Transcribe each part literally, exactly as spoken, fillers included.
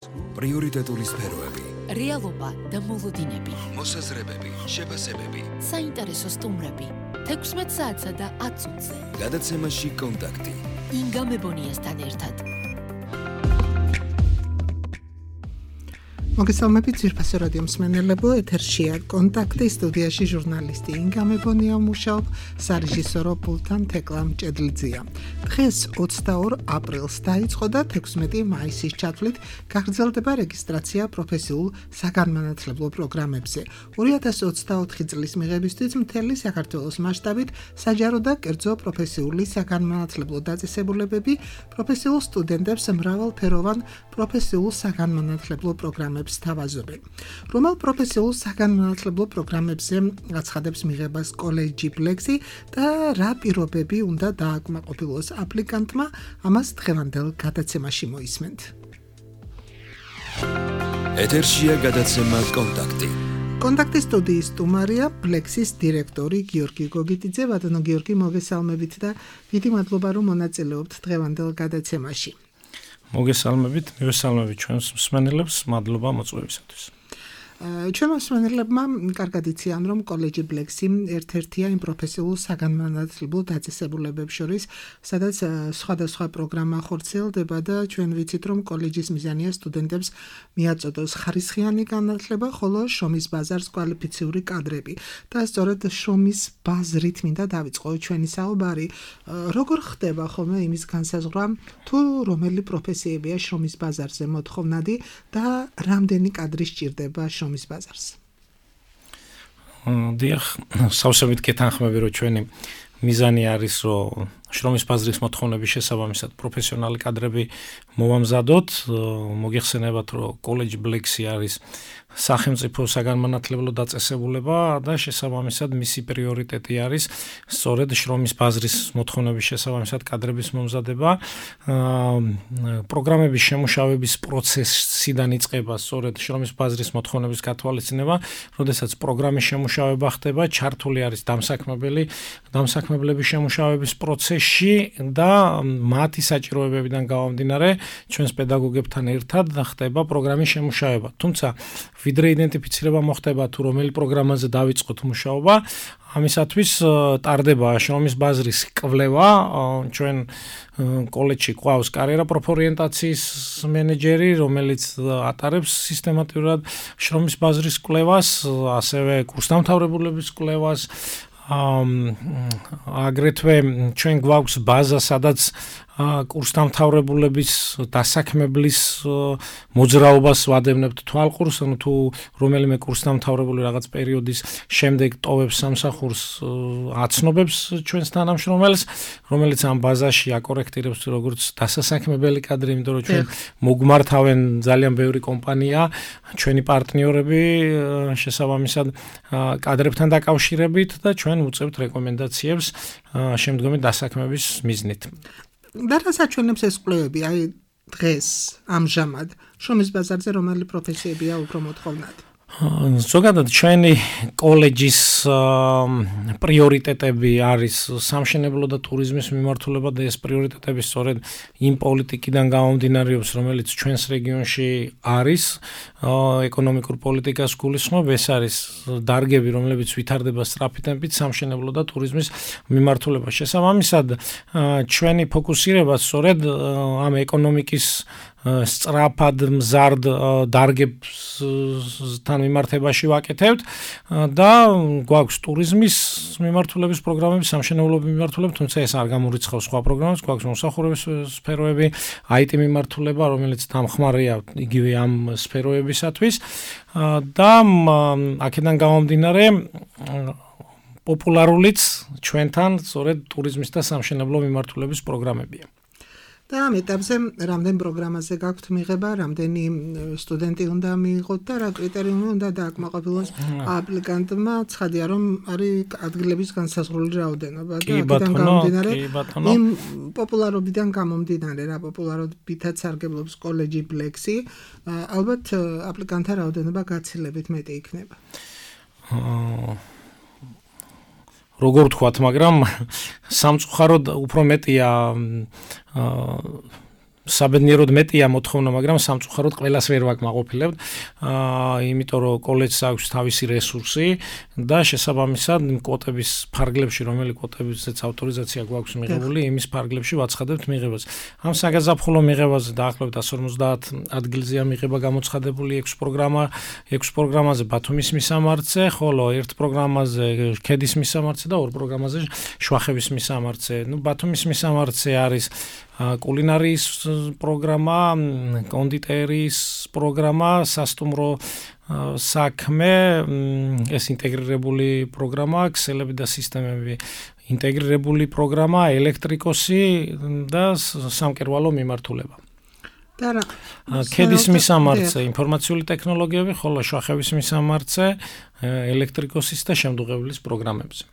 პრიორიტეტული სფეროები, რეალობა და მოლოდინები, მოსაზრებები, შეფასებები, საინტერესო სტუმრები, თექვსმეტ საათსა და ათს ოცზე. გადაცემაში კონტაქტი. ინგა მებონიასთან ერთად. მოგესალმებით ძვირფასო რადიო მსმენელებო, ეთერშია კონტაქტი, სტუდიაში ჟურნალისტი ინგა მებონია მუშაობ, სარეჟისორო პულტთან თეკლა მჭედლიძეა. დღეს ოცდაორ აპრილს დაიწყო და თექვსმეტი მაისის ჩათვლით გაგრძელდება რეგისტრაცია პროფესიულ საგანმანათლებლო პროგრამებზე. ორი ათასი ოცდაოთხი წლის მიღებისთვის მთელი საქართველოს მასშტაბით საჯარო და კერძო პროფესიული საგანმანათლებლო დაწესებულებები პროფესიულ სტუდენტებს მრავალფეროვან პროფესიულ საგანმანათლებლო პროგრამებს თავაზობენ. რომელ პროფესიულ საგანმანათლებლო პროგრამებზე აცხადებს მიღებას კოლეჯი ბლექსი და რა პირობები უნდა დააკმაყოფილოს აპლიკანტმა, ამას დღევანდელ გადაცემაში მოისმენთ. ეთერშია გადაცემა კონტაქტი. კონტაქტის სტუდიის სტუმარია ბლექსის დირექტორი გიორგი გოგიტიძე. ბატონო გიორგი, მოგესალმებით და დიდი მადლობა რომ მონაწილეობთ დღევანდელ გადაცემაში. მოგესალმებით, მივესალმებით ჩვენს მსმენელებს, მადლობა მოწვევისათვის. ჩვენმა მსმენელებმა კარგად იციან, რომ კოლეჯი ბლექსი ერთ-ერთია იმ პროფესიულ საგანმანათლებლო დაწესებულებებს შორის, სადაც სხვადასხვა პროგრამა ხორციელდება და ჩვენ ვიცით, რომ კოლეჯის მიზანია სტუდენტებს მიაწოდოს ხარისხიანი განათლება, ხოლო შრომის ბაზარს კვალიფიციური კადრები. და სწორედ შრომის ბაზრით მინდა დავიწყო ჩვენი საუბარი. როგორ ხდება ხოლმე იმის განსაზღვრა, თუ რომელი პროფესიებია შრომის ბაზარზე მოთხოვნადი და რამდენი კადრი სჭირდება შრომის ბაზარს? დიახ, სავსებით გეთანხმები, რომ ჩვენი მიზანი არის, რომ შრომის ბაზრის მოთხოვნების შესაბამისად პროფესიონალი კადრები მოვამზადოთ. მოგეხსენებათ, რომ კოლეჯი ბლექსი არის სახელმწიფო საგანმანათლებლო დაწესებულება და შესაბამისად მისი პრიორიტეტი არის სწორედ შრომის ბაზრის მოთხოვნების შესაბამისად კადრების მომზადება. პროგრამების შემუშავების პროცესიდან იწყება სწორედ შრომის ბაზრის მოთხოვნების გათვალისწინება, როდესაც პროგრამის შემუშავება ხდება, ჩართული არის დამსაქმებელი, დამსაქმებლების შემუშავების პროცესში და მათი საჭიროებებიდან გამომდინარე ჩვენს პედაგოგებთან ერთად ხდება პროგრამის შემუშავება. თუმცა ვიდრე იდენტიფიცირება მოხდება თუ რომელი პროგრამაზე დავიწყოთ მუშაობა, ამისათვის ტარდება შრომის ბაზრის კვლევა. ჩვენ კოლეჯში ყავს კარიერა პროფორიენტაციის მენეჯერი, რომელიც ატარებს სისტემატურად შრომის ბაზრის კვლევას, ასევე კურსდამთავრებულების კვლევას. აგრეთვე ჩვენ გვაქვს ბაზა, სადაც კურსდამთავრებულების დასაქმებლის მოძრაობას ვადევნებთ თვალყურს, ანუ თუ რომელიმე კურსდამთავრებული რაღაც პერიოდის შემდეგ ტოვებს სამსახურს, აცნობებს ჩვენს თანამშრომელს, რომელიც ამ ბაზაში აკორექტირებს როგორც დასასაქმებელი კადრი, იმიტომ რომ ჩვენ მოგმართავენ ძალიან ბევრი კომპანია, ჩვენი პარტნიორები შესაბამისად კადრებთან დაკავშირებით და ჩვენ უწევთ რეკომენდაციებს შემდგომი დასაქმების მიზნით. და რა საჩვენებს ეს კვლევები? აი დღეს ამჟამად შრომის ბაზარზე რომელი პროფესიებია უფრო მოთხოვნადი? ზოგადად ჩვენი კოლეჯის პრიორიტეტები არის სამშენებლო და ტურიზმის მიმართულება და ეს პრიორიტეტები სწორედ იმ პოლიტიკიდან გამომდინარეობს, რომელიც ჩვენს რეგიონში არის, ეკონომიკურ პოლიტიკას გულისხმობ. ეს არის დარგები, რომლებიც ვითარდება სწრაფი ტემპით სამშენებლო და ტურიზმის მიმართულება. შესაბამისად, ჩვენი ფოკუსირება სწორედ ამ ეკონომიკის სწრაფად მზარდ დარგებთან მიმართებაში ვაკეთებთ და გვაქვს ტურიზმის მიმართულების პროგრამები, სამშენებლობის მიმართულება, თუმცა ეს არ გამორიცხავს სხვა პროგრამებს, გვაქვს მომსახურების სფეროები, აი ტი მიმართულება, რომელიც დამხმარეა იგივე ამ სფეროებისათვის და აქედან გამომდინარე პოპულარულიც ჩვენთან სწორედ ტურიზმის და სამშენებლო მიმართულების პროგრამებია. და ამ ეტაპზე რამდენ პროგრამაზე გაქვთ მიღება, რამდენი სტუდენტი უნდა მიიღოთ და რა კრიტერიუმი უნდა დააკმაყოფილოს აპლიკანტმა? ცხადია, რომ არის ადგილების განსაზღვრული რაოდენობა და აქედან გამომდინარე იმ პოპულარობიდან გამომდინარე, რა პოპულარობითაც სარგებლობს კოლეჯი ბლექსი, ალბათ აპლიკანტთა რაოდენობა გაცილებით მეტი იქნება. როგორ ვთქვათ, მაგრამ სამწუხაროდ უფრო მეტია საბედნიეროდ მეტია მოთხოვნა, მაგრამ სამწუხაროდ ყველას ვერ ვაკმაყოფილებთ. აა იმიტომ რომ კოლეჯს აქვს თავისი რესურსი და შესაბამისად კვოტების ფარგლებში, რომელი კვოტებზეც ავტორიზაცია გვაქვს მიღებული, იმის ფარგლებში ვაცხადებთ მიღებას. ამ საგაზაფხულო მიღებაზე დაახლოებით εκατს ორმოცდაათ ადგილზეა მიღება გამოცხადებული ექვს პროგრამა, ექვს პროგრამაზე ბათუმის მისამართზე, ხოლო ერთ პროგრამაზე ქედის მისამართზე და ორ პროგრამაზე შვახების მისამართზე. ნუ ბათუმის მისამართზე არის კულინარიის პროგრამა, კონდიტერიის პროგრამა, სასტუმრო საქმე, ეს ინტეგრირებული პროგრამა, ქსელები და სისტემები, ინტეგრირებული პროგრამა, ელექტრიკოსი და სამკერვალო მიმართულება. ქედის მისამართზე ინფორმაციული ტექნოლოგიები, ხოლო შვახების მისამართზე ელექტრიკოსის და შემდუღებლის პროგრამებზე.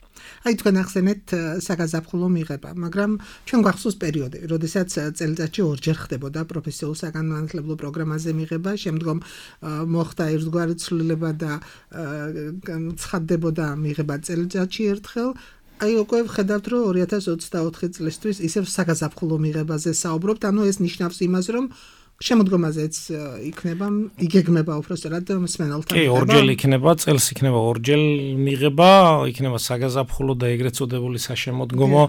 აი თქვენ ახსენეთ საგაზაფხულო მიღება, მაგრამ ჩვენ გვახსოვს პერიოდი, როდესაც წელიწადში ორჯერ ხდებოდა პროფესიულ საგანმანათლებლო პროგრამაზე მიღება, შემდგომ მოხდა ერთგვარი ცვლილება და ცხადდებოდა მიღება წელიწადში ერთხელ. აი უკვე ვხედავთ, რომ ორი ათას ოცდაოთხი წლისთვის ისევ საგაზაფხულო მიღებაზე საუბრობთ, ანუ ეს ნიშნავს იმას, რომ შემოდგომაზეც იქნება, იგეგმება უბრალოდ მსმენელთან. კი, ორჯერ იქნება, წელს იქნება ორჯერ მიღება, იქნება საგაზაფხულო და ეგრეთ წოდებული საშემოდგომო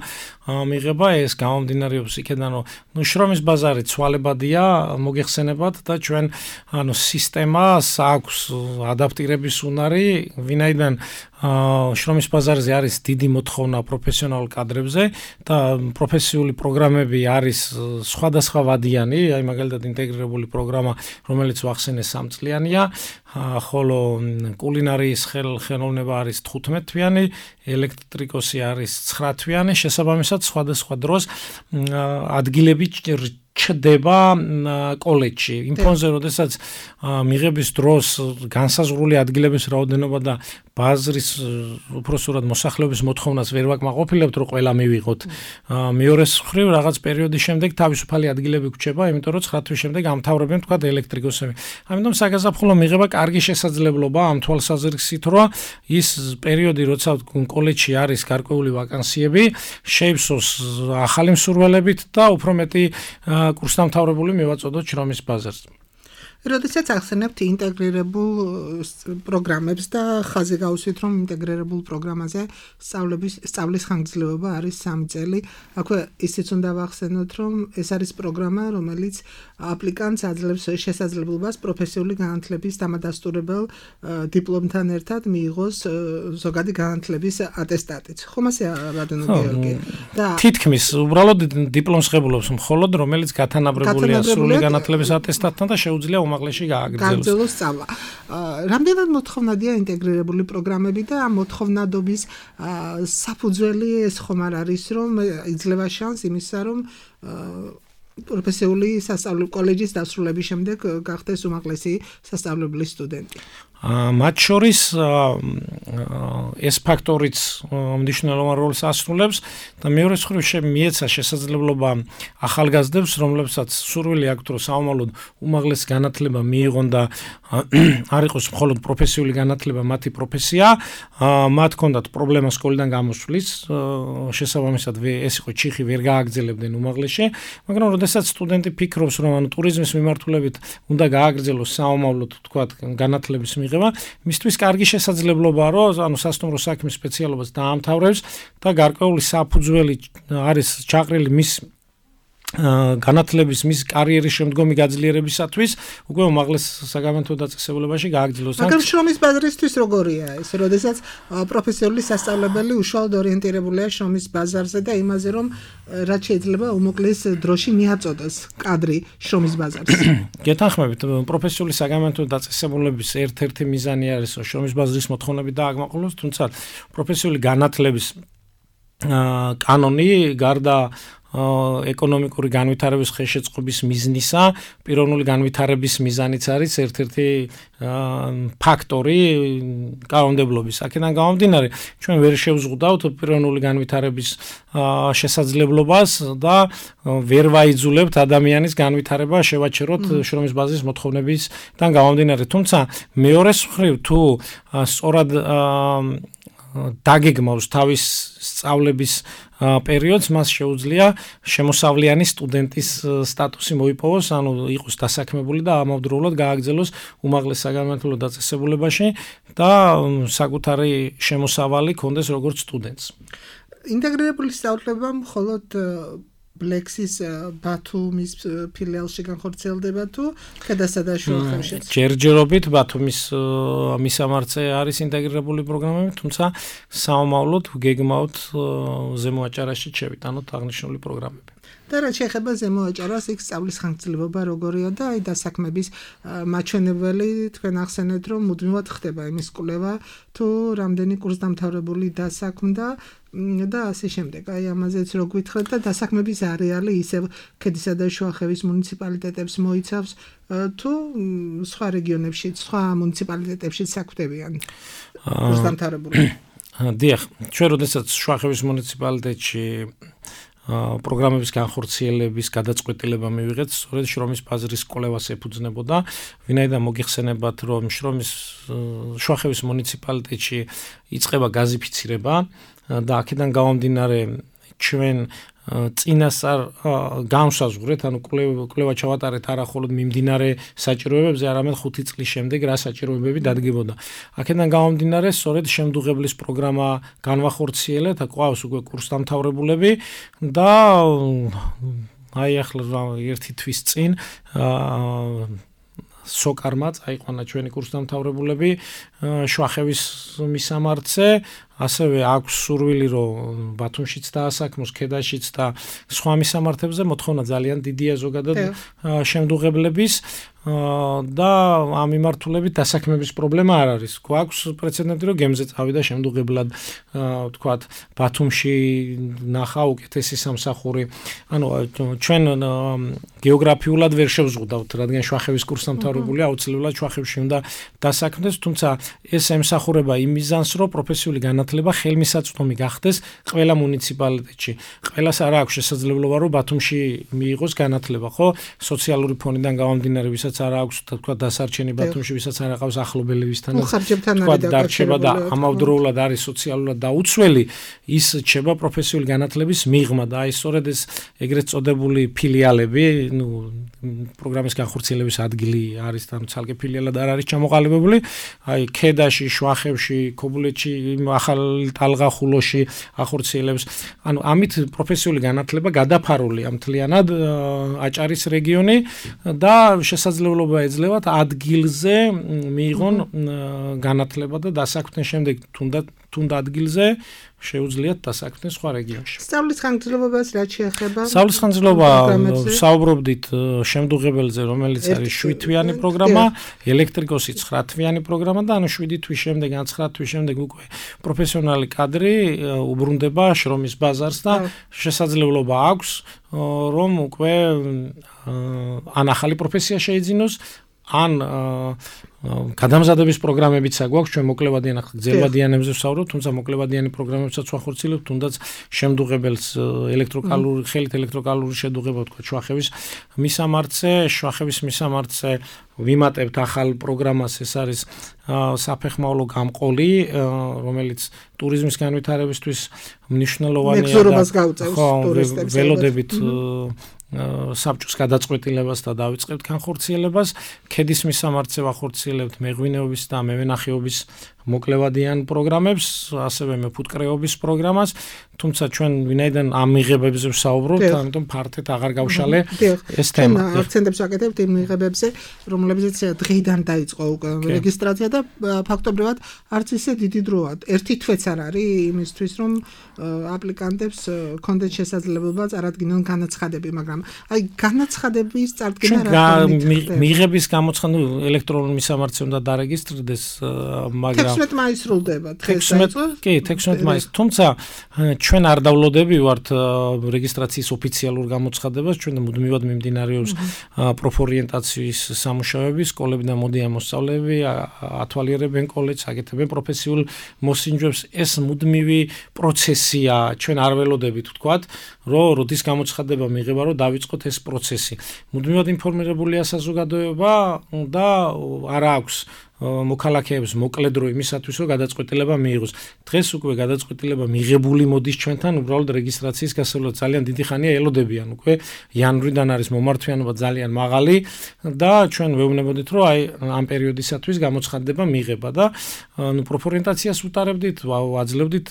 მიღება, ეს გამომდინარეობს იქედან, რომ ნუ შრომის ბაზარი ცვალებადია, მოგეხსენებათ და ჩვენ ანუ სისტემას აქვს ადაპტირების უნარი, ვინაიდან შრომის ბაზარზე არის დიდი მოთხოვნა პროფესიონალ კადრებზე და პროფესიული პროგრამები არის სხვადასხვა ვადიანი, აი მაგალითად ინტეგრირებული პროგრამა, რომელიც ვახსენე სამწლიანია, ხოლო კულინარიის ხელოვნება არის თხუთმეტ თვიანი, ელექტრიკოსი არის ცხრა თვიანი, შესაბამისად სხვადასხვა დროს ადგილები ჩდება კოლეჯში. იმ ფონზე, როდესაც მიღების დროს განსაზღვრული ადგილების რაოდენობა და ბაზრის უпроსურად მოსახლეობის მოთხოვნას ვერ ვაკმაყოფილებთ, რომ ყველა მივიღოთ. მეორეს მხრივ რაღაც პერიოდის შემდეგ თავისუფალი ადგილები გვჩება, იმიტომ რომ ცხრა თვის შემდეგ ამთავრებენ თქვა ელექტრიკოსები. ამიტომ საგაზაფხულო მიღება კარგი შესაძლებლობა ამ თვალსაზრისით, რომ ის პერიოდი, როცა კოლეჯში არის გარკვეული ვაკანსიები, შეივსოს ახალი მსურველებით და უფრო მეტი კურსდამთავრებული მივაწოდოთ შრომის ბაზარს. როდესაც ახსენებთ ინტეგრირებულ პროგრამებს და ხაზი გავუსვით, რომ ინტეგრირებულ პროგრამაზე სწავლების სწავლის ხანგრძლივობა არის სამი წელი. აქვე ისიც უნდა ვახსენოთ, რომ ეს არის პროგრამა, რომელიც აპლიკანტს აძლევს შესაძლებლობას პროფესიული განათლების დამადასტურებელ დიპლომთან ერთად მიიღოს ზოგადი განათლების ატესტატიც. ხომ ასეა რადონო გეორგი? და თითქმის უბრალოდ დიპლომს ღებულობს მხოლოდ, რომელიც გათანაბრებულია სრული განათლების ატესტატთან და შეუძლია უმაღლესში გააგრძელოს სწავლა. რამდენად მოთხოვნადია ინტეგრირებული პროგრამები და ამ მოთხოვნადობის საფუძველი ეს ხომ არ არის, რომ იძლევა შანსი იმისა, რომ პროფესიული სასწავლო კოლეჯის დასრულების შემდეგ გახდეს უმაღლესი სასწავლებლის სტუდენტი. მათ შორის ეს ფაქტორიც მნიშვნელოვან როლს ასრულებს და მეორე მხრივ მიეცა შესაძლებლობა ახალგაზრდებს, რომლებსაც სურვილი აქვთ, რომ საომალოდ უმაღლესი განათლება მიიღონ და არ იყოს მხოლოდ პროფესიული განათლება მათი პროფესია, მათ ჰქონდათ პრობლემა სკოლიდან გამოსვლის, შესაბამისად ეს იყო ჩიხი, ვერ გააგრძელებდნენ უმაღლესში, მაგრამ როდესაც სტუდენტი ფიქრობს, რომ ანუ ტურიზმის მიმართულებით უნდა გააგრძელოს საომავლოდ თქვათ განათლების მიღება, მისთვის კარგი შესაძლებლობაა, რომ ანუ სასტუმრო საქმის სპეციალობას დაამთავრებს და გარკვეული საფუძველი არის ჩაყრილი მის განათლების მის კარიერის შემდგომი გაძლიერებისათვის, უკვე უმაღლეს საგამომთო დაწესებულებაში გააგრძელოს. მაგრამ შრომის ბაზარისთვის როგორია ეს, როდესაც პროფესიული სასწავლებელი უშუალოდ ორიენტირებულია შრომის ბაზარზე და იმაზე, რომ რაც შეიძლება უმოკლეს დროში მიაწოდოს კადრი შრომის ბაზარს. გეთანხმებით, პროფესიული საგამომთო დაწესებულების ერთ-ერთი მიზანი არის შრომის ბაზრის მოთხოვნები დააკმაყოფილოს, თუმცა პროფესიული განათლების კანონი გარდა ეკონომიკური განვითარების ხელშეწყობის მიზნისა, პიროვნული განვითარების მიზანიც არის ერთ-ერთი ფაქტორი კანონმდებლობის. აქედან გამომდინარე, ჩვენ ვერ შევზღუდავთ პიროვნული განვითარების შესაძლებლობას და ვერ ვაიძულებთ ადამიანის განვითარება შევაჩეროთ შრომის ბაზრის მოთხოვნებისგან გამომდინარე. თუმცა მეორე მხრივ თუ სწორად დაგეგმავს თავის სწავლების პერიოდს, მას შეუძლია შემოსავლიანი სტუდენტის სტატუსი მოიპოვოს, ანუ იყოს დასაქმებული და ამავდროულად გააგრძელოს უმაღლეს საგანმანათლებლო დაწესებულებაში და საკუთარი შემოსავალი ქონდეს როგორც სტუდენტს. ინტეგრირებული სწავლება მხოლოდ ბლექსის ბათუმის ფილიალში განხორციელდება თუ ქედასა და შუახევშიც? ჯერჯერობით ბათუმის მისამართზე არის ინტეგრირებული პროგრამები, თუმცა საომავლოდ გეგმავთ ზემო აჭარაში შევიტანოთ აღნიშნული პროგრამები. და რაც შეეხება ზემო აჭარას, იქ სწავლის ხანგრძლივობა როგორია და აი დასაქმების მაჩვენებელი თქვენ ახსენეთ, რომ მუდმივად ხდება იმის კვლევა, თუ რამდენი კურსდამთავრებული დასაქმდა და ასე შემდეგ. აი ამაზეც რო გვითხრათ და დასაქმების არეალი ისევ ქედისა და შუახევის მუნიციპალიტეტებს მოიცავს თუ სხვა რეგიონებში, სხვა მუნიციპალიტეტებში საქმდებიან კურსდამთავრებული? დიახ, ჩვენ როდესაც შუახევის მუნიციპალიტეტში პროგრამების განხორციელების გადაწყვეტილება მივიღეთ, სწორედ შრომის ბაზრის კვლევას ეფუძნებოდა, ვინაიდან მოგიხსენებათ, რომ შრომის შუახევის მუნიციპალიტეტში იწყება გაზიფიცირება და აქედან გამომდინარე ჩვენ წინასწარ განვსაზღვრეთ, ანუ კვლევა ჩავატარეთ არა მხოლოდ მიმდინარე საჭიროებებზე, არამედ ხუთი წლის შემდეგ რა საჭიროებები დადგებოდა. აქედან გამომდინარე, სწორედ შემდუღებლის პროგრამა განვახორციელეთ, ყავს უკვე კურსდამთავრებულები და აი ახლა ერთი თვის წინ სოკარმა წაიყვანა ჩვენი კურსდამთავრებულები შუახევის მისამართზე, ასევე აქვს სურვილი, რომ ბათუმშიც დაასაქმოს, ქედაშიც და სხვა მისამართებზე მოთხოვნა ძალიან დიდია ზოგადად შემდუღებლების და ამ მიმართულებით დასაქმების პრობლემა არ არის. გვაქვს პრეცედენტი, რომ გემზე წავიდა შემდუღებლად, ვთქვათ, ბათუმში ნახა უკეთესი სამსახური. ანუ ჩვენ გეოგრაფიულად ვერ შევზღუდავთ, რადგან შუახევის კურსდამთავრებული აუცილებლად შუახევში უნდა დასაქმდეს, თუმცა ეს ემსახურება იმ მიზანს, რომ პროფესიული განათლება ხელმისაწვდომი გახდეს ყველა მუნიციპალიტეტში. ყველას არ აქვს შესაძლებლობა, რომ ბათუმში მიიღოს განათლება, ხო? სოციალური ფონიდან გამომდინარე, ვისაც არ აქვს თქვა დასარჩენი ბათუმში, ვისაც არ აქვს ახლობელებისთან თქვა დარჩება და ამავდროულად არის სოციალურად დაუცველი, ის რჩება პროფესიული განათლების მიღმა და აი სწორედ ეს ეგრეთ წოდებული ფილიალები, ნუ პროგრამის განხორციელების ადგილი არის და ცალკე ფილიალად არ არის ჩამოყალიბებული, აი ქედაში, შუახევში, ქობულეთში, ახალ ტალღახულოში ახორციელებს. ანუ ამით პროფესიული განათლება გადაფარულია მთლიანად აჭარის რეგიონი და შესაძლებლობა ეძლევათ ადგილზე მიიღონ განათლება და დასაქმდნენ შემდეგ თუნდაც თუნდაც ადგილზე შეუძლიათ დასაქმდნენ სხვა რეგიონში. სწავლის ხანგრძლივობას რაც შეეხება? სწავლის ხანგრძლივობა საუბრობდით შემდუღებელზე, რომელიც არის შვიდთვიანი პროგრამა, ელექტრიკოსი ცხრა თვიანი პროგრამა და ანუ შვიდი თვის შემდეგ, ან ცხრა თვის შემდეგ უკვე პროფესიონალი კადრი უბრუნდება შრომის ბაზარს და შესაძლებლობა აქვს, რომ უკვე ან ახალი პროფესია შეიძინოს, ან გადამზადების პროგრამებიც აგვაქვს, ჩვენ მოკლევადიან ახლა გრძელვადიანებზე ვსაუბრობთ, თუმცა მოკლევადიანი პროგრამებსაც ვახორციელებთ, თუნდაც შემდუღებელს ელექტროკალური ხელით ელექტროკალური შედუღება თქვა შუახევის მისამართზე, შუახევის მისამართზე ვიმატებთ ახალ პროგრამას, ეს არის საფეხმავლო გამყოლი, რომელიც ტურიზმის განვითარებისთვის მნიშვნელოვანია და ველოდებით საბჭოს გადაწყვეტილებას და დავიწყებთ განხორციელებას. ქედის მისამართზე ვახორციელებთ მეღვინეობის და მევენახეობის მოკლევადიან პროგრამებს, ასევე მეფუტკრეობის პროგრამას, თუმცა ჩვენ ვინაიდან ამ მიღებებზე ვსაუბრობთ, ამიტომ ფართედ აღარ გავშალე ეს თემა. აქცენტებს ვაკეთებთ იმ მიღებებზე, რომლებზეც დღეიდან დაიწყო რეგისტრაცია და ფაქტობრივად არც ისე დიდი დროა. ერთი თვეც არ არის იმისთვის, რომ აპლიკანტებს კონდეთ შესაძლებლობა წარადგინონ განაცხადები, მაგრამ აი განაცხადების წარდგენა რა თქმა მიღების გამოცხადება ელექტრონულ მისამართზე უნდა დარეგისტრდეს, მაგრამ თექვსმეტ მაისს სრულდება დღეს დაიწყო. კი, თექვსმეტ მაისს, თუმცა ჩვენ არ დავლოდები ვართ რეგისტრაციის ოფიციალურ გამოცხადებას, ჩვენ მუდმივად მიმდინარეობს პროფორიენტაციის სამუშაოები, სკოლებიდან მოდიან მოსწავლეები, ათვალიერებენ კოლეჯს, აკეთებენ პროფესიულ მოსინჯვებს. ეს მუდმივი პროცესია, ჩვენ არ ველოდებით ვთქვათ, რომ როდის გამოცხადება მიიღება, რომ დავიწყოთ ეს პროცესი. მუდმივად ინფორმირებულია საზოგადოება და არ აქვს მოქალაქეებს მოკლედრო იმისათვის, რომ გადაწყვეტილება მიიღოს. დღეს უკვე გადაწყვეტილება მიღებული მოდის ჩვენთან, უბრალოდ რეგისტრაციის გასავლელად ძალიან დიდი ხანია ელოდებიან უკვე. იანვრიდან არის მომართვიანობა ძალიან მაღალი და ჩვენ ვეუბნებოდით, რომ აი ამ პერიოდისათვის გამოცხადდება მიღება და ნუ პროფორიენტაციას უტარებდით, ვაძლევდით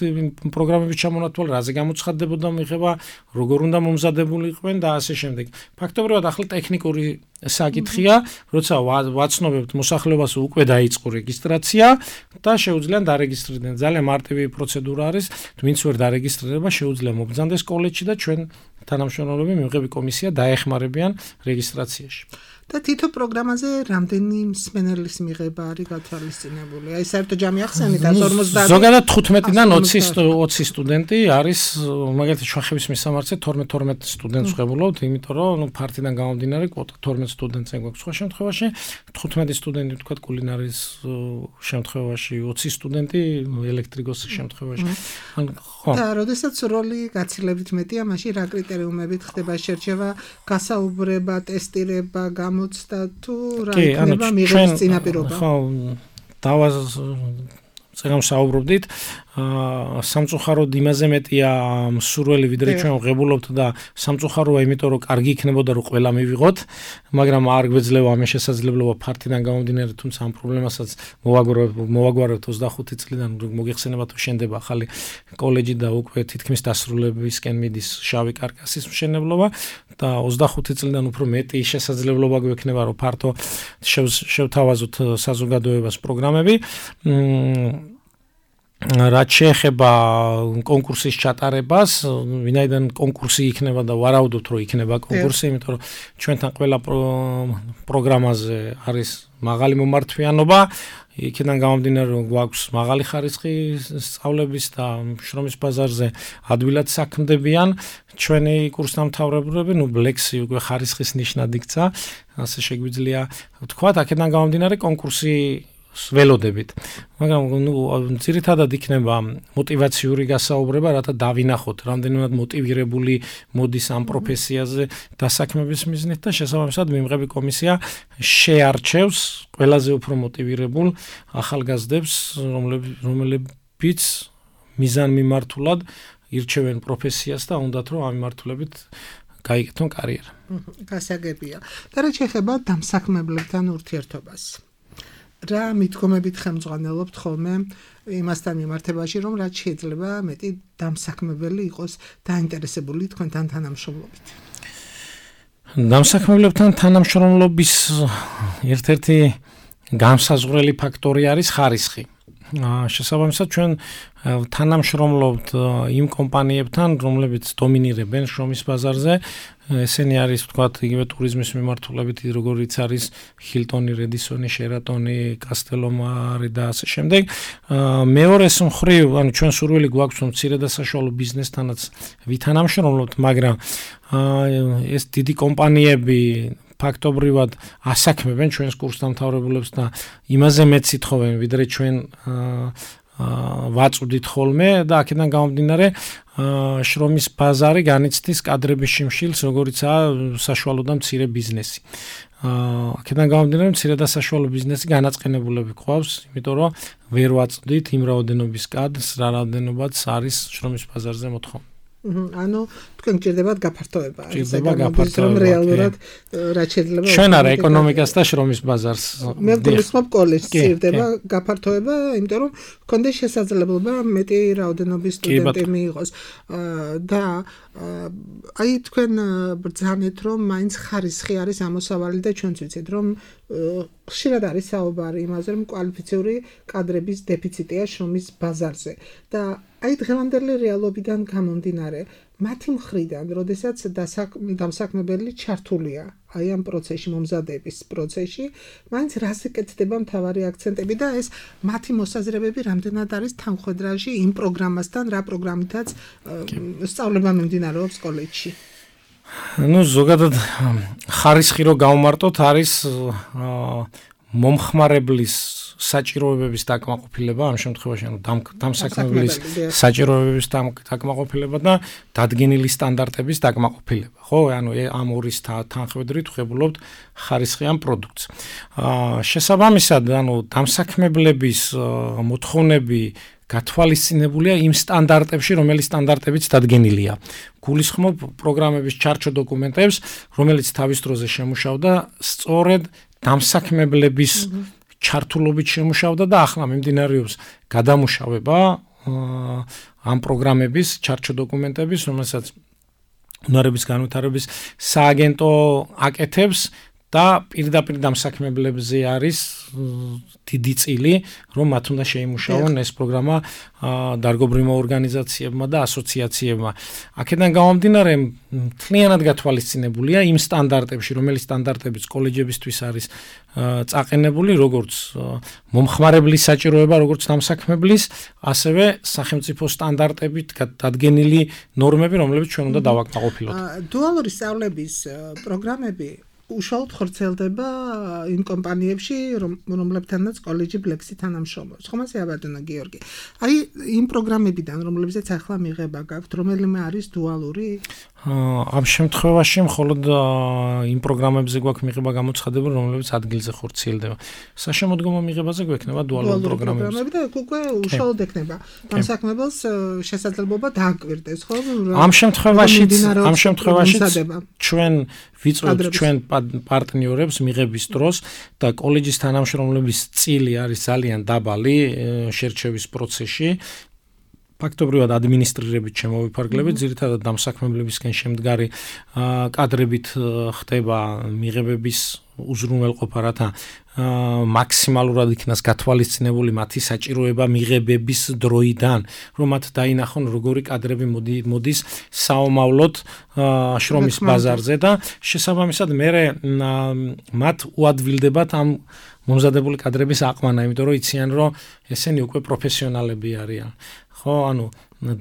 პროგრამების ჩამონათვალა, რაზე გამოცხადდებოდა მიღება, როგორ უნდა მომზადებული იყვნენ და ასე შემდეგ. ფაქტობრივად ახლა ტექნიკური საკითხია, როცა ვაცნობებთ მოსახლეობას უკვე დაიწყო რეგისტრაცია და შეუძლიან დარეგისტრირდნენ. ძალიან მარტივი პროცედურა არის, ვინც ვერ დარეგისტრირება, შეუძლია მობრძანდეს კოლეჯში და ჩვენ თანამშრომლები მიღები კომისია დაეხმარებიან რეგისტრაციაში. და თითო პროგრამაზე რამდენი მსმენელის მიღება არის გათვალისწინებული? აი საერთო ჯამი ახსენეთ ორმოცდაათი. ზოგადად თხუთმეტიდან ოცი სტუდენტი არის, მაგალითად შუახევის მისამართზე თორმეტ თორმეტ სტუდენტს ვღებულობთ, იმიტომ რომ ნუ ფართიდან გამომდინარე კვოტა თორმეტ სტუდენტს გვაქვს სხვა შემთხვევაში, თხუთმეტი სტუდენტი ვთქვათ კულინარიის შემთხვევაში, ოცი სტუდენტი ელექტრიკოსის შემთხვევაში. ხო. და როდესაც როლი გაცილებით მეტია, მაშინ რა კრიტერიუმებით ხდება შერჩევა, გასაუბრება, ტესტირება, გამოცდა თუ რა იქნება მიღების წინაპირობა? ხო, დავას წეგამ საუბრობდით, სამწუხაროდ იმაზე მეტია მსურველი ვიდრე ჩვენ ვღებულობთ და სამწუხაროა იმიტომ რომ კარგი იქნებოდა რომ ყველა მივიღოთ, მაგრამ არ გვეძლევა ამის შესაძლებლობა ფართიდან გამომდინარე, თუმცა ამ პრობლემასაც მოვაგვარებთ ოცდახუთი წლიდან მოგეხსენება თუ შენდება ახალი კოლეჯი და უკვე თითქმის დასრულებისკენ მიდის შავი კარკასის მშენებლობა და ოცდახუთი წლიდან უფრო მეტი შესაძლებლობა გვექნება რომ ფართო შევთავაზოთ საზოგადოებას პროგრამები. რაც შეეხება კონკურსის ჩატარებას, ვინაიდან კონკურსი იქნება და ვარაუდობთ რომ იქნება კონკურსი, იმიტომ რომ ჩვენთან ყველა პროგრამაზე არის მაღალი მომართვიანობა, იქიდან გამომდინარე რომ გვაქვს მაღალი ხარისხი სწავლების და შრომის ბაზარზე ადვილად საქმდებიან ჩვენი კურსდამთავრებულები, ნუ ბლექსი უკვე ხარისხის ნიშნად იქცა, ასე შეგვიძლია ვთქვათ, აქედან გამომდინარე კონკურსი ველოდებით. მაგრამ ნუ ძირითადად იქნება мотиваციური გასაუბრება, რათა დავინახოთ, რამდენად მოტივირებული მოდის ამ პროფესიაზე დასაქმების მიზნით და შესაბამისად მიმღები კომისია შეარჩევს ყველაზე უფრო მოტივირებულ ახალგაზრდებს, რომლებიც მიზანმიმართულად ირჩევენ პროფესიას და უნდათ რომ ამ მიმართულებით გაიგეთონ კარიერა. გასაგებია. და რა შეეხება დამსაქმებლებთან ურთიერთობას? რა მithkomებით ხელმძღვანელობთ ხოლმე იმასთან მიმართებაში, რომ რაც შეიძლება მეტი დამსაქმებელი იყოს დაინტერესებული თქვენთან თანამშრომლობით? დამსაქმებლებთან თანამშრომლობის ერთ-ერთი განსაზღვრელი ფაქტორი არის ხარისხი. შესაბამისად ჩვენ თანამშრომლობთ იმ კომპანიებთან, რომლებიც დომინირებენ შრომის ბაზარზე. ესენი არის ვთქვათ იგივე ტურიზმის მიმართულებით, როგორიც არის ჰილტონი, რედისონი, შერატონი, კასტელომარი და ასე შემდეგ. მეორეს მხრივ, ანუ ჩვენ სურვილი გვაქვს რომ მცირე და საშუალო ბიზნესთანაც ვითანამშრომლოთ, მაგრამ ეს დიდი კომპანიები ფაქტობრივად ასაქმებენ ჩვენს კურსდამთავრებულებს და იმაზე მეც ითხოვენ, ვიდრე ჩვენ ვაწვდით ხოლმე და აქედან გამომდინარე შრომის ბაზარი განიცდის კადრების შიმშილს, როგორიცაა საშუალო და მცირე ბიზნესი. აქედან გამომდინარე მცირე და საშუალო ბიზნესი განაწყენებულები გვყავს, იმიტომ რომ ვერ ვაწვდით იმ რაოდენობის კადრს, რა რაოდენობაც არის შრომის ბაზარზე მოთხოვნა. ანუ თქვენ გჭირდებათ გაფართოება, რომ რეალურად რაც შეიძლება ჩვენ არა ეკონომიკას და შრომის ბაზარს. მე გულისხმობ კოლეჯს გჭირდება გაფართოება, იმიტომ რომ გქონდეს შესაძლებლობა მეტი რაოდენობის სტუდენტი მიიღოს და აი თქვენ ბრძანეთ რომ მაინც ხარისხი არის ამოსავალი და ჩვენც ვიცით რომ ხშირად არის საუბარი იმაზე რომ კვალიფიციური კადრების დეფიციტია შრომის ბაზარზე და აი დღევანდელი რეალობიდან გამომდინარე მათი მხრიდან, როდესაც დამსაქმებელი ჩართულია აი ამ პროცესში, მომზადების პროცესში, მაინც რაზე კეთდება მთავარი აქცენტები და ეს მათი მოსაზრებები რამდენად არის თანხვედრაში იმ პროგრამასთან, რა პროგრამითაც სწავლება მიმდინარეობს კოლეჯში? ნუ ზოგადად ხარისხი რო გავმარტოთ არის მომხმარებლის საჭიროებების დაკმაყოფილება, ამ შემთხვევაში ანუ დამსაქმებლის საჭიროებების დაკმაყოფილება და დადგენილი სტანდარტების დაკმაყოფილება, ხო? ანუ ამ ორის თანხმედრით ვღებულობთ ხარისხიან პროდუქტს. შესაბამისად, ანუ დამსაქმებლების მოთხოვნები გათვალისწინებულია იმ სტანდარტებში, რომელიც სტანდარტებიც დადგენილია. გულისხმობ პროგრამების ჩარჩო დოკუმენტებს, რომელიც თავის დროზე შემუშავდა სწორედ დამსაქმებლების ჩართულობით შემუშავდა და ახლა მიმდინარეობს გადამუშავება ამ პროგრამების ჩარჩო დოკუმენტების, რომელსაც უნარების განვითარების სააგენტო აკეთებს და პირდაპირ დამსაქმებლებზე არის დიდი წილი, რომ მათ უნდა შეიმუშაონ ეს პროგრამა დარგობრივმა ორგანიზაციებმა და ასოციაციებმა. აქედან გამომდინარე, მთლიანად გათვალისწინებულია იმ სტანდარტებში, რომელი სტანდარტებიც კოლეჯებისთვის არის წაყენებული, როგორც მომხმარებლის საჭიროება, როგორც დამსაქმებლის, ასევე სახელმწიფო სტანდარტებით დადგენილი ნორმები, რომლებიც ჩვენ უნდა დავაკმაყოფილოთ. დუალური სწავლების პროგრამები უშუალოდ ხორციელდება იმ კომპანიებში, რომლებთანაც კოლეჯი ბლექსი თანამშრომლობს. ხო, მასე აბატონო გიორგი. აი, იმ პროგრამებიდან, რომლებზეც ახლა მიღება გაქვთ, რომელიმე არის დუალური? ამ შემთხვევაში მხოლოდ იმ პროგრამებზე გვაქვს მიღება გამოცხადებული, რომლებიც ადგილზე ხორციელდება. საშემოდგომო მიღებაზე გვექნება დუალური პროგრამები და უკვე უშუალოდ ექნება დამსაქმებელს შესაძლებლობა დააკვირდეს, ხო? ამ შემთხვევაშიც, ამ შემთხვევაშიც ჩვენ ვიწვევთ ჩვენ პარტნიორებს მიღების დროს და კოლეჯის თანამშრომლების წილი არის ძალიან დაბალი შერჩევის პროცესში. ფაქტობრივად ადმინისტრირებით შემოვიფარგლებით, ძირითადად დამსაქმებლებისგან შემდგარი კადრებით ხდება მიღებების უზრუნველყოფა, რათა მაქსიმალურად იქნას გათვალისწინებული მათი საჭიროება მიღებების დროიდან, რომ მათ დაინახონ როგორი კადრები მოდის საომავლოდ შრომის ბაზარზე და შესაბამისად მერე მათ უადვილდებათ ამ მომზადებული კადრების აყვანა, იმიტომ რომ იციან, რომ ესენი უკვე პროფესიონალები არიან. ხო, ანუ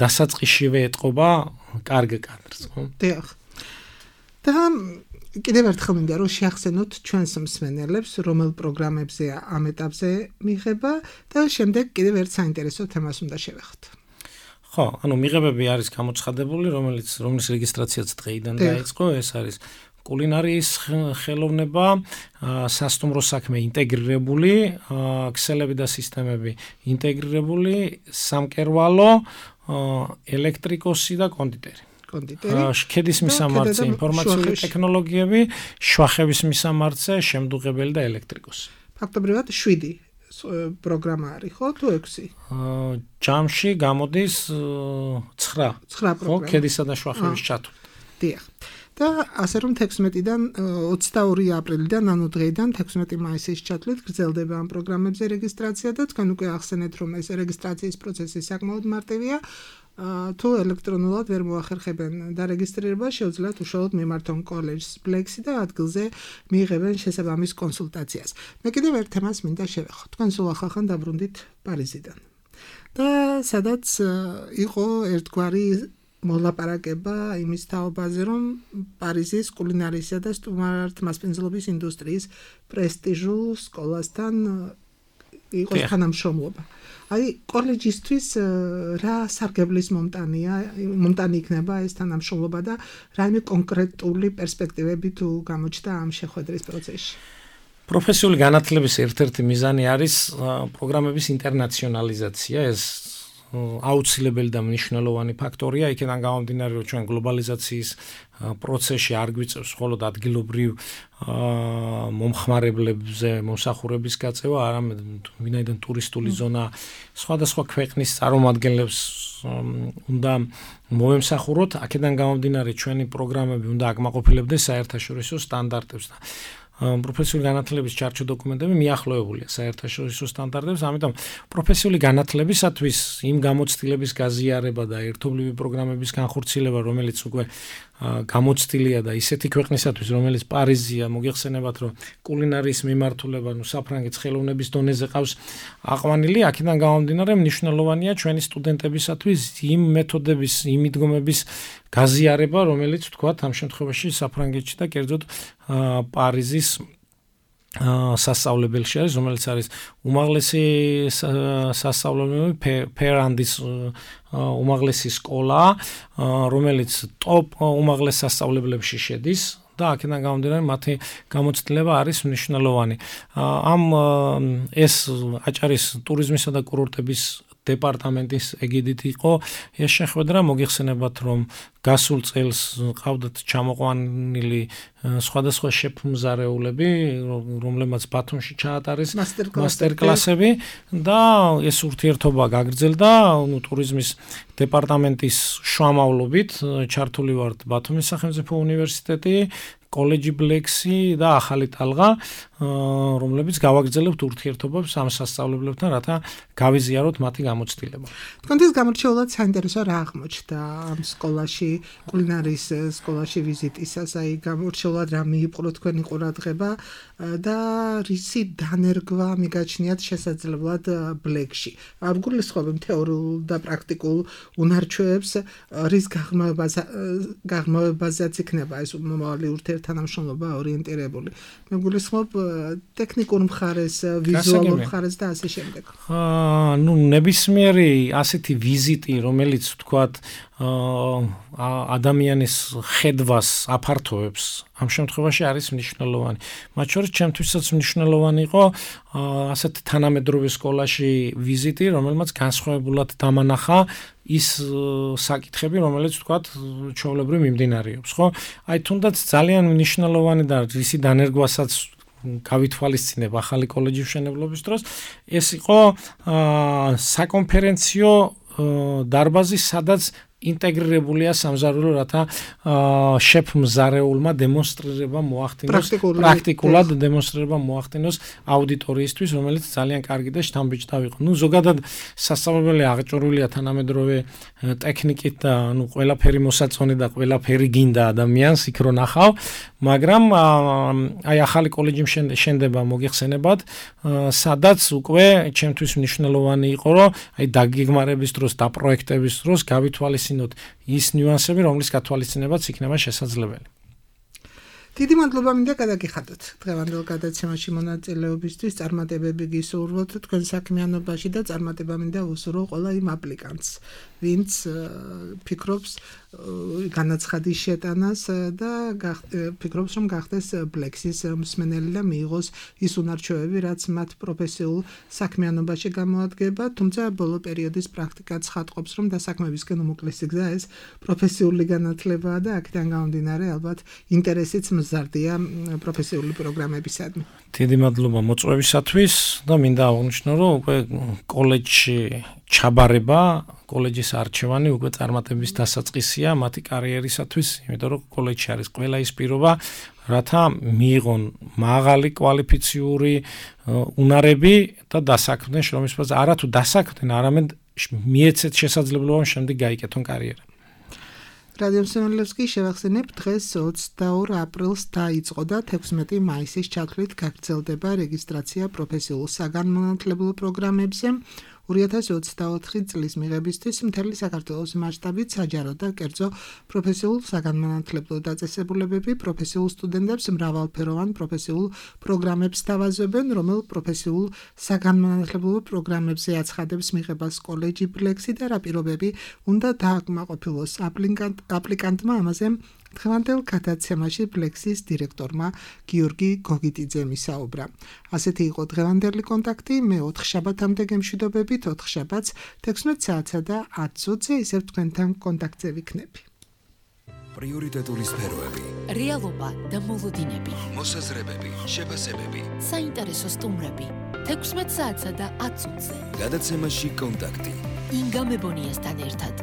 დასაწყისშივე ეტყობა კარგ კადრს, ხო? დიახ. და კიდევ ერთხელ მინდა რომ შეახსენოთ ჩვენს მსმენელებს, რომელ პროგრამებზე ამ ეტაპზე მიღება და შემდეგ კიდევ ერთ საინტერესო თემას უნდა შევეხოთ. ხო, ანუ მიღებები არის გამოცხადებული, რომელიც რომლის რეგისტრაციაც დღეიდან დაიწყო, ეს არის კულინარიის ხელოვნება, სასტუმრო საქმე ინტეგრირებული, ქსელები და სისტემები ინტეგრირებული, სამკერვალო, ელექტრიკოსი და კონდიტერი. კონდიტერი. ქედის მისამართზე ინფორმაციული ტექნოლოგიები, შვახების მისამართზე შემდუღებელი და ელექტრიკოსი. ფაქტობრივად შვიდი პროგრამა არის, ხო, თუ ექვსი? ჯამში გამოდის ცხრა. ცხრა პროგრამა. ხო, ქედისა და შვახების ჩათვლით. დიახ. და ასე რომ თექვსმეტიდან ოცდაორი აპრილიდან, ანუ დღეიდან თექვსმეტი მაისის ჩათვლით გრძელდება ამ პროგრამებზე რეგისტრაცია და თქვენ უკვე ახსენეთ, რომ ეს რეგისტრაციის პროცესი საკმაოდ მარტივია. თუ ელექტრონულად ვერ მოახერხებენ დარეგისტრირება, შეუძლიათ უშუალოდ მიმართონ კოლეჯს ბლექსი და ადგილზე მიიღებენ შესაბამის კონსულტაციას. მე კიდევ ერთ თემას მინდა შევეხოთ. თქვენ სულ ახალხან დაბრუნდით პარიზიდან. და სადაც იყო ერთგვარი მოლაპარაკება იმის თაობაზე, რომ პარიზის კულინარიისა და სტუმართმასპინძლობის ინდუსტრიის პრესტიჟულ სკოლასთან იყოს თანამშრომლობა. აი, კოლეჯისთვის რა სარგებლის მომტანია, მომტანი იქნება ეს თანამშრომლობა და რაიმე კონკრეტული პერსპექტივები თუ გამოჩნდა ამ შეხვედრის პროცესში? პროფესიული განათლების ერთ-ერთი მიზანი არის პროგრამების ინტერნაციონალიზაცია, ეს აუცილებელი და მნიშვნელოვანი ფაქტორია, იქიდან გამომდინარე, რომ ჩვენ გლობალიზაციის პროცესში არ გვიწევს მხოლოდ ადგილობრივ მომხმარებლებზე მომსახურების გაწევა, არამედ ვინაიდან ტურისტული ზონა სხვადასხვა ქვეყნის წარმომადგენლებს უნდა მოემსახუროთ, აქედან გამომდინარე ჩვენი პროგრამები უნდა აკმაყოფილებდეს საერთაშორისო სტანდარტებს და პროფესიული განათლების ჩარჩო დოკუმენტები მიახლოებულია საერთაშორისო სტანდარტებს, ამიტომ პროფესიული განათლებისათვის იმ გამოცდილების გაზიარება და ერთობლივი პროგრამების განხორციელება, რომელიც უკვე გამოცდილია და ისეთი ქვეყნისათვის, რომელიც პარიზია, მოგეხსენებათ, რომ კულინარიის მიმართულება, ნუ საფრანგეთის ხელოვნების დონეზე ყავს აყვანილი, აქედან გამომდინარე მნიშვნელოვანია ჩვენი სტუდენტებისათვის იმ მეთოდების, იმ მიდგომების გაზიარება, რომელიც თქვათ ამ შემთხვევაში საფრანგეთში და კერძოდ პარიზის სასწავლებელში არის, რომელიც არის უმაღლესი სასწავლებელი ფერანდის უმაღლესი სკოლა, რომელიც ტოპ უმაღლეს სასწავლებლებში შედის და აქედან გამომდინარე მათი გამოცდილება არის მნიშვნელოვანი. ამ ეს აჭარის ტურიზმისა და კურორტების დეპარტამენტის ეგიდით იყო ეს შეხვედრა. მოგიხსენებათ, რომ გასულ წელს ყავდათ ჩამოყვანილი სხვადასხვა შეფმზარეულები, რომლებმაც ბათუმში ჩაატარეს მასტერკლასები და ეს ურთიერთობა გაგრძელდა. ნუ ტურიზმის დეპარტამენტის შუამავლობით ჩართული ვართ ბათუმის სახელმწიფო უნივერსიტეტი, კოლეჯი ბლექსი და ახალი ტალღა, რომლებიც გავაგრძელებთ ურთიერთობებს ამ სასწავლებლებთან, რათა გავიზიაროთ მათი გამოცდილება. თქვენთვის გამორჩეულად საინტერესო რა აღმოჩნდა ამ სკოლაში, კულინარიის სკოლაში ვიზიტისას, აი გამორჩეულად რა მიიპყრო თქვენი ყურადღება და რისი დანერგვა მიგაჩნიათ შესაძლებლად ბლექში. გულისხმობთ თეორიულ და პრაქტიკულ უნარჩვევებს, რის გაღრმავებაზეც იქნება ეს მომავალი ურთიერთთანამშრომლობა ორიენტირებული. მე გულისხმობ ტექნიკურ მხარეს, ვიზუალურ მხარეს და ასე შემდეგ. აა, ნუ ნებისმიერი ასეთი ვიზიტი, რომელიც ვთქვათ, ადამიანის ხედვას აფართოვებს, ამ შემთხვევაში არის მნიშვნელოვანი. მათ შორის ჩემთვისაც მნიშვნელოვანი იყო ასეთ თანამედროვე სკოლაში ვიზიტი, რომელმაც განსხვავებულად დამანახა ის საკითხები, რომელიც ვთქვათ, ჩვეულებრივ მიმდინარეობს, ხო? აი თუნდაც ძალიან მნიშვნელოვანი და რისი დანერგვასაც გავითვალისწინებ ახალი კოლეჯის მშენებლობის დროს, ეს იყო საკონფერენციო დარბაზი, სადაც ინტეგრირებულია სამზარეულო, რათა შეფმზარეულმა დემონსტრირება მოახდინოს, პრაქტიკულად დემონსტრირება მოახდინოს აუდიტორიისთვის, რომელიც ძალიან კარგი და შთამბეჭდავი იყო. ნუ ზოგადად სასწავლებელი აღჭურვილია თანამედროვე ტექნიკით და ნუ ყველაფერი მოსაწონი და ყველაფერი გინდა ადამიანს იქ რო ნახავ, მაგრამ აი ახალი კოლეჯი შენდება მოგიხსენებათ, სადაც უკვე ჩემთვის მნიშვნელოვანი იყო, რომ აი დაგეგმარების დროს და პროექტების დროს გავითვალისწინოთ ის ნიუანსები, რომლის გათვალისწინებაც იქნება შესაძლებელი. დიდი მადლობა მინდა გადაგიხადოთ დღევანდელ გადაცემაში მონაწილეობისთვის, წარმატებები გისურვოთ თქვენ საქმიანობაში და წარმატება მინდა უსურვო ყველა იმ აპლიკანტს, ვინც ფიქრობს განაცხადის შეტანას და ფიქრობს, რომ გახდეს ბლექსის მსმენელი და მიიღოს ის უნარჩვევები, რაც მათ პროფესიულ საქმიანობაში გამოადგება, თუმცა ბოლო პერიოდის პრაქტიკაც ხატყობს, რომ დასაქმებისკენ უმოკლესი გზა ეს პროფესიული განათლებაა და აქედან გამომდინარე ალბათ ინტერესიც მზარდია პროფესიული პროგრამებისადმი. დიდი მადლობა მოწვევისათვის და მინდა აღვნიშნო, რომ უკვე კოლეჯში ჩაბარება, კოლეჯის არჩევანი უკვე წარმატების დასაწყისია მათი კარიერისათვის, იმიტომ რომ კოლეჯში არის ყველა ის პირობა, რათა მიიღონ მაღალი კვალიფიციური უნარები და დასაქმდნენ შრომის ფაზაზე, არა თუ დასაქმდნენ, არამედ მიეცეთ შესაძლებლობა შემდეგ გაიკეთონ კარიერა. რადიო მსმენელებს კი შევახსენებ, დღეს ოცდაორ აპრილს დაიწყო და თექვსმეტი მაისის ჩათვლით გაგრძელდება რეგისტრაცია პროფესიულ საგანმანათლებლო პროგრამებზე. ორი ათას ოცდაოთხი წლის მიღებისთვის მთელი საქართველოს მასშტაბით საჯარო და კერძო პროფესიულ საგანმანათლებლო დაწესებულებები პროფესიულ სტუდენტებს მრავალფეროვან პროფესიულ პროგრამებს თავაზობენ, რომელ პროფესიულ საგანმანათლებლო პროგრამებზე აცხადებს მიღებას კოლეჯი ბლექსი და რა პირობები უნდა დააკმაყოფილოს აპლიკანტმა. ამაზე დღევანდელ გადაცემაში ბლექსის დირექტორმა გიორგი გოგიტიძემ ისაუბრა. ასეთი იყო დღევანდელი კონტაქტი, მე ოთხ შაბათამდე გემშვიდობებით, ოთხ შაბათს თექვსმეტ საათსა და ათ წუთზე ისევ თქვენთან კონტაქტზე ვიქნები. პრიორიტეტული სფეროები, რეალობა და მოლოდინები, მოსაზრებები, შეფასებები, საინტერესო სტუმრები, თექვსმეტ საათსა და ათ წუთზე. გადაცემაში კონტაქტი. ინგა მებონიასთან ერთად.